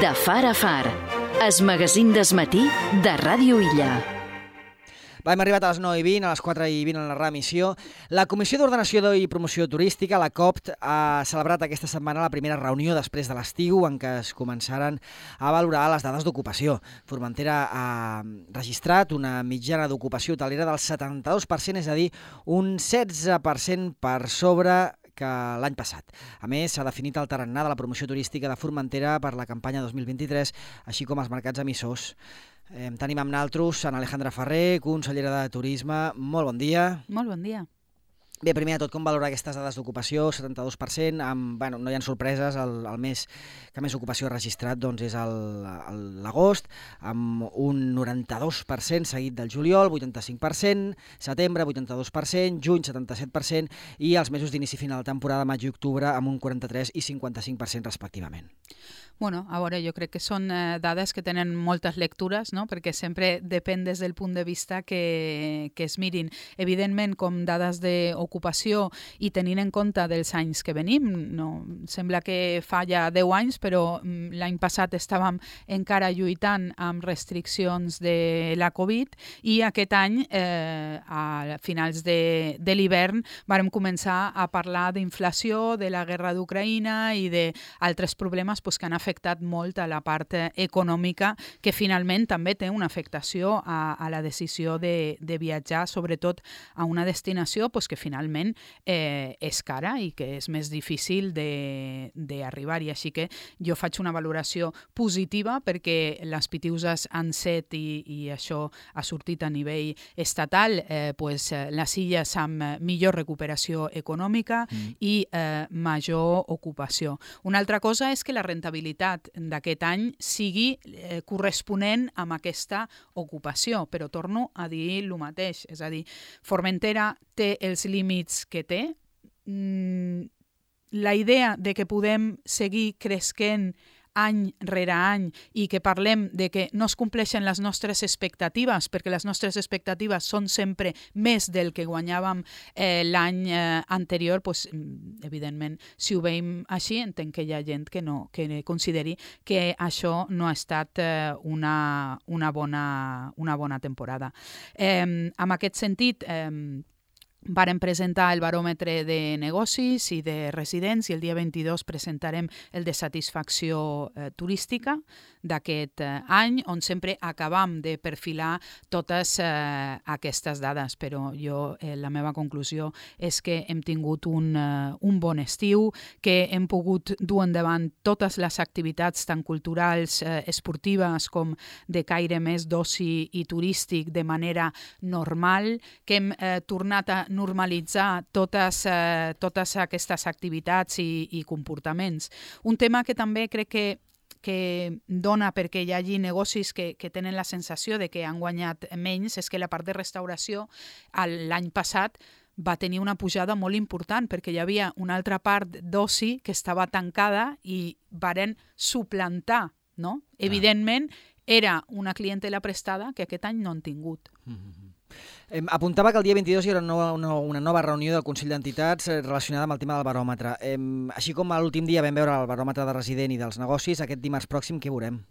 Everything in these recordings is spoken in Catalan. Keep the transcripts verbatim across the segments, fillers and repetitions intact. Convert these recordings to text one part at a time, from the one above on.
De far a far, es magazín desmatí de Ràdio Illa. Va, hem arribat a les nou i vint, a les quatre i vint en la reemissió. La Comissió d'Ordenació i Promoció Turística, la C O P T, ha celebrat aquesta setmana la primera reunió després de l'estiu en què es començaran a valorar les dades d'ocupació. Formentera ha registrat una mitjana d'ocupació hotelera del setanta-dos per cent, és a dir, un setze per cent per sobre que l'any passat. A més, s'ha definit el tarannà de la promoció turística de Formentera per la campanya dos mil vint-i-tres, així com els mercats emissors. Eh, tenim amb naltros en Alejandra Ferrer, consellera de Turisme. Molt bon dia. Molt bon dia. Bé, primer de tot, com valorar aquestes dades d'ocupació? setanta-dos per cent, amb, bueno, no hi ha sorpreses, el, el mes que més ocupació ha registrat doncs, és l'agost, amb un noranta-dos per cent seguit del juliol, vuitanta-cinc per cent, setembre, vuitanta-dos per cent, juny, setanta-set per cent, i els mesos d'inici final de temporada, maig i octubre, amb un quaranta-tres i cinquanta-cinc per cent respectivament. Bueno, a veure, jo crec que són eh, dades que tenen moltes lectures, no? Perquè sempre depèn des del punt de vista que, que es mirin. Evidentment, com dades d'ocupació i tenint en compte dels anys que venim, no, sembla que fa ja deu anys, però l'any passat estàvem encara lluitant amb restriccions de la Covid i aquest any, eh, a finals de, de l'hivern, vàrem començar a parlar d'inflació, de la guerra d'Ucraïna i d'altres problemes pues, que han afectat molt a la part econòmica, que finalment també té una afectació a, a la decisió de, de viatjar, sobretot a una destinació pues, que finalment eh, és cara i que és més difícil d'arribar-hi. Així que jo faig una valoració positiva perquè les pitiuses han set i, i això ha sortit a nivell estatal, eh, pues, les illes amb millor recuperació econòmica mm. i eh, major ocupació. Una altra cosa és que la rentabilitat d'aquest any sigui eh, corresponent amb aquesta ocupació, però torno a dir el mateix, és a dir, Formentera té els límits que té. Mm, la idea de que podem seguir cresquent any rere any i que parlem de que no es compleixen les nostres expectatives, perquè les nostres expectatives són sempre més del que guanyàvem eh, l'any eh, anterior, pues, evidentment, si ho veiem així, entenc que hi ha gent que no que consideri que això no ha estat eh, una, una, bona, una bona temporada. Eh, en aquest sentit, eh, vàrem presentar el baròmetre de negocis i de residents i el dia vint-i-dos presentarem el de satisfacció eh, turística d'aquest eh, any, on sempre acabam de perfilar totes eh, aquestes dades. Però jo, eh, la meva conclusió és que hem tingut un, eh, un bon estiu, que hem pogut dur endavant totes les activitats tant culturals, eh, esportives com de caire més d'oci i turístic de manera normal, que hem eh, tornat a normalitzar totes, eh, totes aquestes activitats i, i comportaments. Un tema que també crec que que dona perquè hi hagi negocis que, que tenen la sensació de que han guanyat menys és que la part de restauració l'any passat va tenir una pujada molt important perquè hi havia una altra part d'oci que estava tancada i varen suplantar, no? Ah. Evidentment, era una clientela prestada que aquest any no han tingut. Mm-hmm. Eh, apuntava que el dia vint-i-dos hi haurà una, una, una nova reunió del Consell d'Entitats eh, relacionada amb el tema del baròmetre. Eh, així com l'últim dia vam veure el baròmetre de resident i dels negocis, aquest dimarts pròxim què veurem?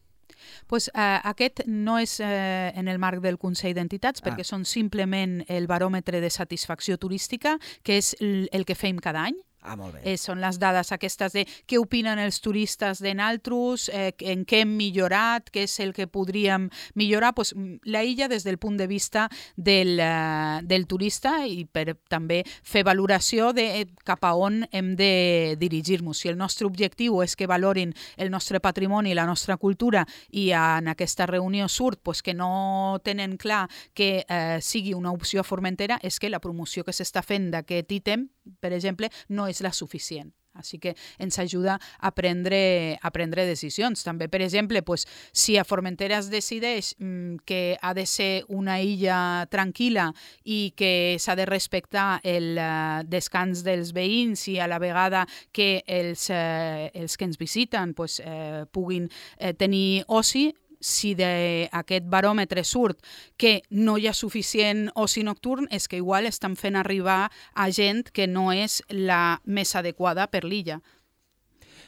Pues, eh, aquest no és eh, en el marc del Consell d'Entitats, ah. perquè són simplement el baròmetre de satisfacció turística, que és el, el que fem cada any. Ah, molt bé. Eh, són les dades aquestes de què opinen els turistes de naltros, eh, en què hem millorat, què és el que podríem millorar. Pues, la illa des del punt de vista del, uh, del turista i per també fer valoració de eh, cap a on hem de dirigir-nos. Si el nostre objectiu és que valorin el nostre patrimoni, la nostra cultura i en aquesta reunió surt pues, que no tenen clar que eh, sigui una opció a Formentera, és que la promoció que s'està fent d'aquest ítem, per exemple, no és la suficient. Així que ens ajuda a prendre, a prendre decisions. També, per exemple, pues, si a Formentera es decideix mm, que ha de ser una illa tranquil·la i que s'ha de respectar el uh, descans dels veïns i a la vegada que els, uh, els que ens visiten pues, uh, puguin uh, tenir oci, si d'aquest baròmetre surt que no hi ha suficient oci nocturn, és que igual estan fent arribar a gent que no és la més adequada per l'illa.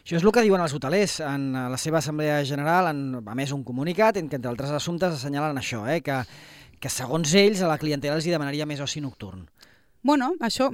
Això és el que diuen els hotelers. En la seva assemblea general han emès un comunicat en què, entre altres assumptes, assenyalen això, eh? que, que segons ells a la clientela els hi demanaria més oci nocturn. Bueno, això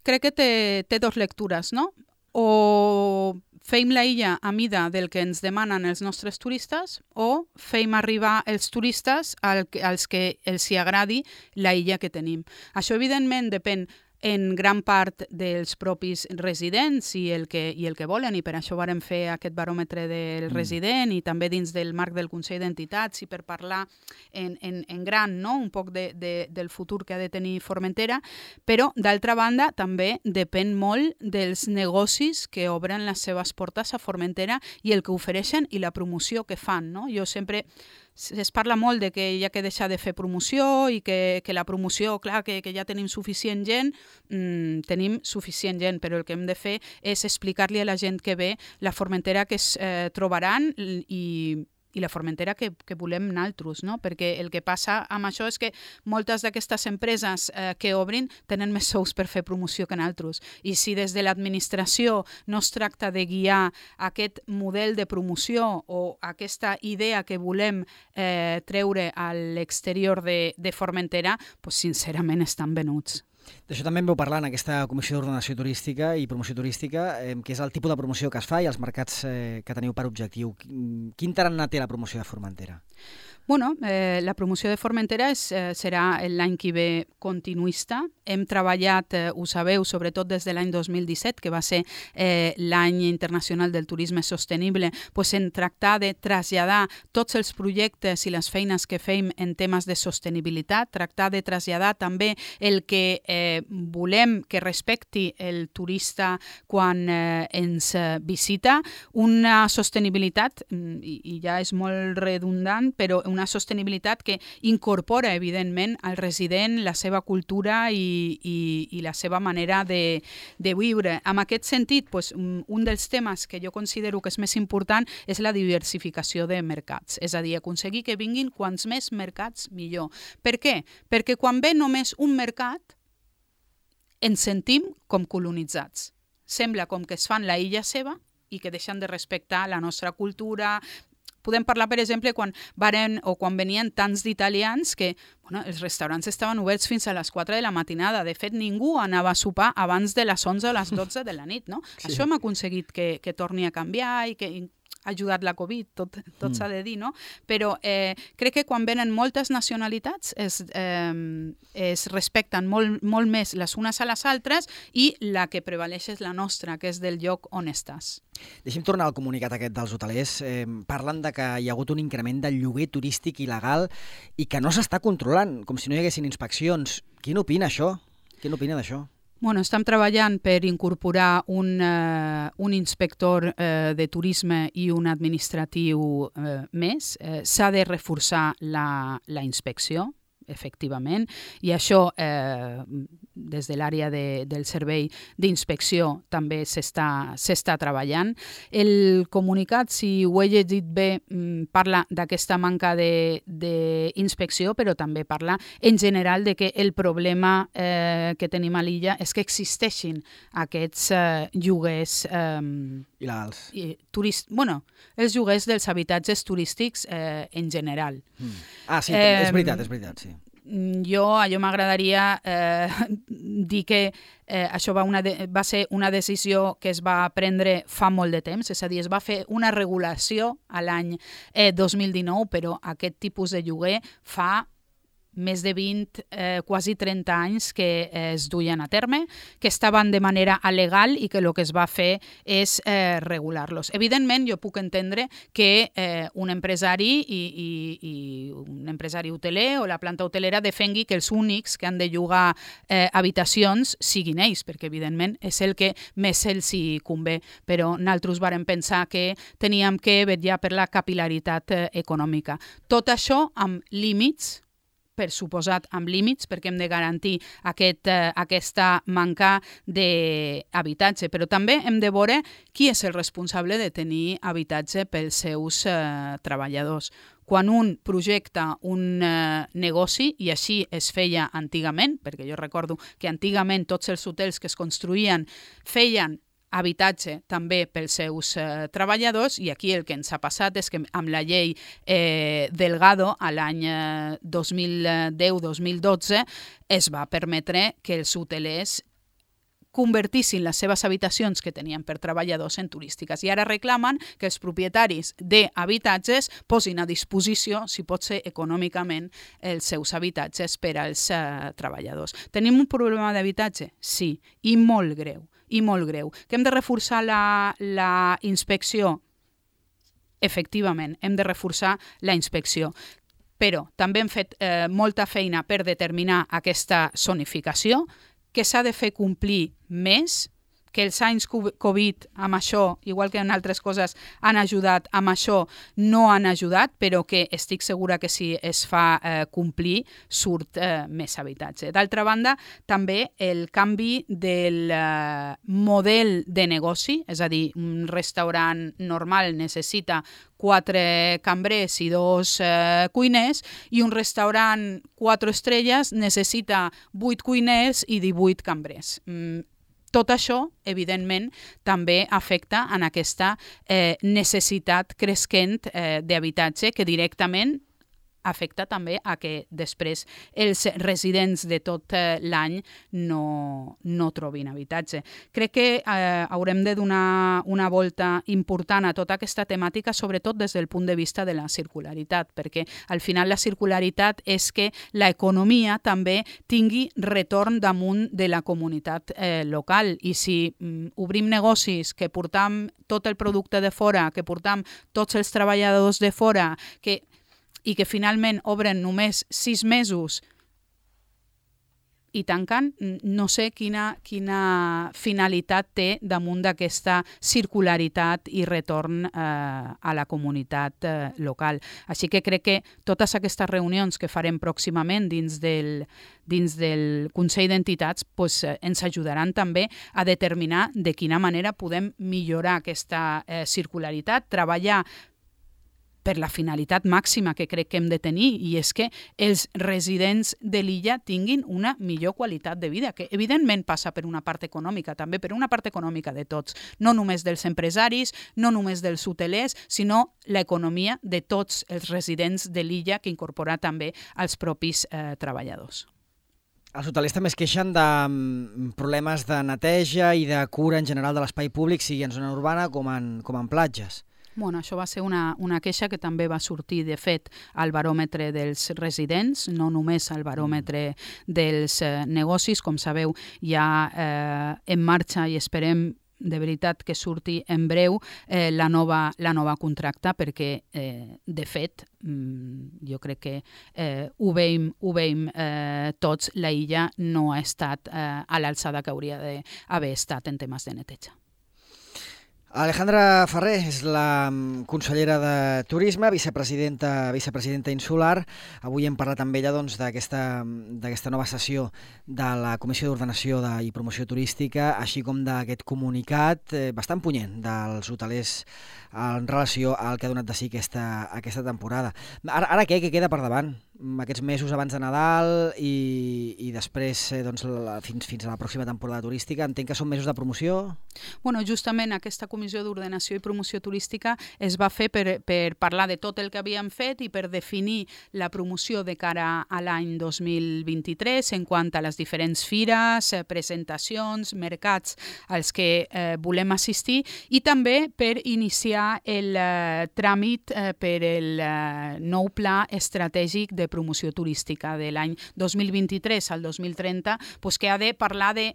crec que té, té dos lectures, no? O feim la illa a mida del que ens demanen els nostres turistes o feim arribar els turistes al, als que els hi agradi la illa que tenim. Això, evidentment, depèn en gran part dels propis residents i el que, i el que volen, i per això vàrem fer aquest baròmetre del mm. resident i també dins del marc del Consell d'Entitats i per parlar en, en, en gran, no? Un poc de, de, del futur que ha de tenir Formentera, però d'altra banda també depèn molt dels negocis que obren les seves portes a Formentera i el que ofereixen i la promoció que fan, no? Jo sempre es parla molt de que hi ha que deixar de fer promoció i que, que la promoció, clar, que, que ja tenim suficient gent, mm, tenim suficient gent, però el que hem de fer és explicar-li a la gent que ve la Formentera que es eh, trobaran i i la Formentera que, que volem naltros, no? Perquè el que passa amb això és que moltes d'aquestes empreses eh, que obrin tenen més sous per fer promoció que naltros. I si des de l'administració no es tracta de guiar aquest model de promoció o aquesta idea que volem eh, treure a l'exterior de, de Formentera, pues, sincerament estan venuts. D'això també en vau parlar en aquesta Comissió d'Ordenació Turística i Promoció Turística, eh, que és el tipus de promoció que es fa i els mercats eh, que teniu per objectiu. Quin tarannà té la promoció de Formentera? Bueno, eh, la promoció de Formentera és, eh, serà l'any que ve continuista. Hem treballat, eh, ho sabeu, sobretot des de l'any dos mil disset, que va ser eh, l'any internacional del turisme sostenible, pues en tractar de traslladar tots els projectes i les feines que fem en temes de sostenibilitat, tractar de traslladar també el que eh, volem que respecti el turista quan eh, ens eh, visita, una sostenibilitat, i, i ja és molt redundant, però una sostenibilitat que incorpora, evidentment, al resident la seva cultura i, i, i la seva manera de, de viure. En aquest sentit, pues, un dels temes que jo considero que és més important és la diversificació de mercats. És a dir, aconseguir que vinguin quants més mercats millor. Per què? Perquè quan ve només un mercat, ens sentim com colonitzats. Sembla com que es fan la illa seva i que deixen de respectar la nostra cultura. Podem parlar, per exemple, quan varen o quan venien tants d'italians que bueno, els restaurants estaven oberts fins a les quatre de la matinada. De fet, ningú anava a sopar abans de les onze o les dotze de la nit. No? Sí. Això hem aconseguit que, que torni a canviar i que ha ajudat la Covid, tot, tot mm. s'ha de dir, no? Però eh, crec que quan venen moltes nacionalitats es, eh, es respecten molt, molt més les unes a les altres i la que prevaleix és la nostra, que és del lloc on estàs. Deixem tornar al comunicat aquest dels hotelers. Eh, parlen de que hi ha hagut un increment del lloguer turístic il·legal i que no s'està controlant, com si no hi haguessin inspeccions. Qui n'opina això? Qui n'opina d'això? Bueno, estem treballant per incorporar un, uh, un inspector uh, de turisme i un administratiu uh, més. Uh, s'ha de reforçar la, la inspecció, efectivament, i això eh, des de l'àrea de, del servei d'inspecció també s'està s'està treballant. El comunicat, si ho he llegit bé, parla d'aquesta manca d'inspecció, però també parla en general de que el problema eh, que tenim a l'illa és que existeixin aquests eh, lloguers eh, il·legals. Turist, bueno, els lloguers dels habitatges turístics eh, en general. Mm. Ah, sí, eh, és veritat, és veritat, sí. Jo, allò m'agradaria eh, dir que eh, això va, una de, va ser una decisió que es va prendre fa molt de temps, és a dir, es va fer una regulació a l'any eh, dos mil dinou, però aquest tipus de lloguer fa més de vint, eh, quasi trenta anys que eh, es duien a terme, que estaven de manera alegal i que el que es va fer és eh, regular-los. Evidentment, jo puc entendre que eh, un empresari i, i, i un empresari hoteler o la planta hotelera defengui que els únics que han de llogar eh, habitacions siguin ells, perquè evidentment és el que més els hi convé. Però nosaltres vàrem pensar que teníem que vetllar per la capil·laritat eh, econòmica. Tot això amb límits, per suposat amb límits, perquè hem de garantir aquest, eh, aquesta manca d'habitatge. Però també hem de veure qui és el responsable de tenir habitatge pels seus eh, treballadors. Quan un projecta un eh, negoci, i així es feia antigament, perquè jo recordo que antigament tots els hotels que es construïen feien habitatge també pels seus eh, treballadors, i aquí el que ens ha passat és que amb la llei eh, Delgado a l'any eh, dos mil deu dos mil dotze es va permetre que els hotelers convertissin les seves habitacions que tenien per treballadors en turístiques. I ara reclamen que els propietaris d'habitatges posin a disposició, si pot ser econòmicament, els seus habitatges per als eh, treballadors. Tenim un problema d'habitatge? Sí, i molt greu, i molt greu. Que hem de reforçar la, la inspecció? Efectivament, hem de reforçar la inspecció. Però també hem fet eh, molta feina per determinar aquesta zonificació, que s'ha de fer complir més, que els anys Covid amb això, igual que en altres coses, han ajudat, amb això no han ajudat, però que estic segura que si es fa eh, complir, surt eh, més habitatge. D'altra banda, també el canvi del eh, model de negoci, és a dir, un restaurant normal necessita quatre cambrers i dos eh, cuiners, i un restaurant quatre estrelles necessita vuit cuiners i divuit cambrers. Mm, Tot això, evidentment, també afecta en aquesta eh, necessitat cresquent eh, d'habitatge que directament afecta també a que després els residents de tot eh, l'any no, no trobin habitatge. Crec que eh, haurem de donar una volta important a tota aquesta temàtica, sobretot des del punt de vista de la circularitat, perquè al final la circularitat és que l'economia també tingui retorn damunt de la comunitat eh, local, i si mm, obrim negocis que portam tot el producte de fora, que portam tots els treballadors de fora, que i que finalment obren només sis mesos i tanquen, no sé quina, quina finalitat té damunt d'aquesta circularitat i retorn eh, a la comunitat eh, local. Així que crec que totes aquestes reunions que farem pròximament dins del, dins del Consell d'Entitats pues, eh, ens ajudaran també a determinar de quina manera podem millorar aquesta eh, circularitat, treballar per la finalitat màxima que crec que hem de tenir, i és que els residents de l'illa tinguin una millor qualitat de vida, que evidentment passa per una part econòmica, també per una part econòmica de tots, no només dels empresaris, no només dels hotelers, sinó l'economia de tots els residents de l'illa, que incorpora també els propis eh, treballadors. Els hotelers també es queixen de problemes de neteja i de cura en general de l'espai públic, sigui en zona urbana com en, com en platges. Bueno, això va ser una, una queixa que també va sortir, de fet, al baròmetre dels residents, no només al baròmetre dels eh, negocis. Com sabeu, ja eh, en marxa, i esperem de veritat que surti en breu eh, la, nova, la nova contracta, perquè, eh, de fet, mm, jo crec que eh, ho veiem, ho veiem eh, tots, la illa no ha estat eh, a l'alçada que hauria d'haver estat en temes de neteja. Alejandra Ferrer és la consellera de Turisme, vicepresidenta, vicepresidenta insular. Avui hem parlat amb ella doncs, d'aquesta nova sessió de la Comissió d'Ordenació de, i Promoció Turística, així com d'aquest comunicat eh, bastant punyent dels hotelers en relació al que ha donat de si aquesta, aquesta temporada. Ara, ara què? Què queda per davant? Aquests mesos abans de Nadal i, i després eh, doncs, la, fins, fins a la pròxima temporada turística. Entenc que són mesos de promoció? Bueno, justament aquesta Comissió d'Ordenació i Promoció Turística es va fer per, per parlar de tot el que havíem fet i per definir la promoció de cara a l'any dos mil vint-i-tres en quant a les diferents fires, presentacions, mercats als que eh, volem assistir, i també per iniciar el eh, tràmit eh, per el eh, nou pla estratègic de promoció turística de l'any dos mil vint-i-tres al dos mil trenta, pues, que ha de parlar de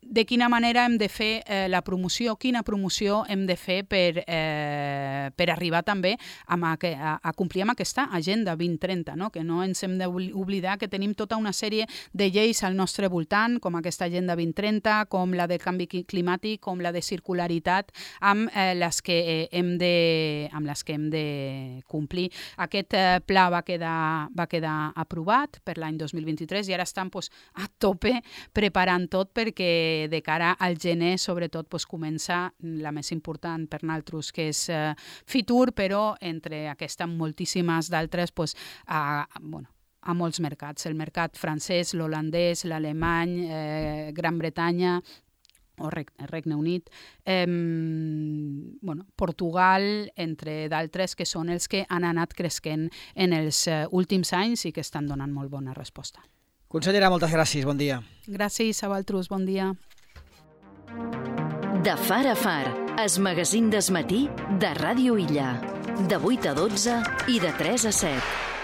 de quina manera hem de fer eh, la promoció, quina promoció hem de fer per, eh, per arribar també a, a, a complir amb aquesta Agenda vint trenta, no? Que no ens hem d'oblidar que tenim tota una sèrie de lleis al nostre voltant, com aquesta Agenda vint trenta, com la de canvi climàtic, com la de circularitat, amb, eh, les, que, eh, hem de, amb les que hem de complir. Aquest eh, pla va quedar, va quedar aprovat per l'any dos mil vint-i-tres i ara estan pues, a tope preparant tot perquè de cara al gener, sobretot, pues, comença la més important per nosaltres, que és eh, Fitur, però entre aquestes moltíssimes d'altres, pues, a, bueno, a molts mercats. El mercat francès, l'holandès, l'alemany, eh, Gran Bretanya, o Regne Unit, eh, bueno, Portugal, entre d'altres, que són els que han anat cresquent en els uh, últims anys i que estan donant molt bona resposta. Consellera, moltes gràcies, bon dia. Gràcies a vosaltres, bon dia. De far a far, es magazín des matí de Ràdio Illa. De vuit a dotze i de tres a set.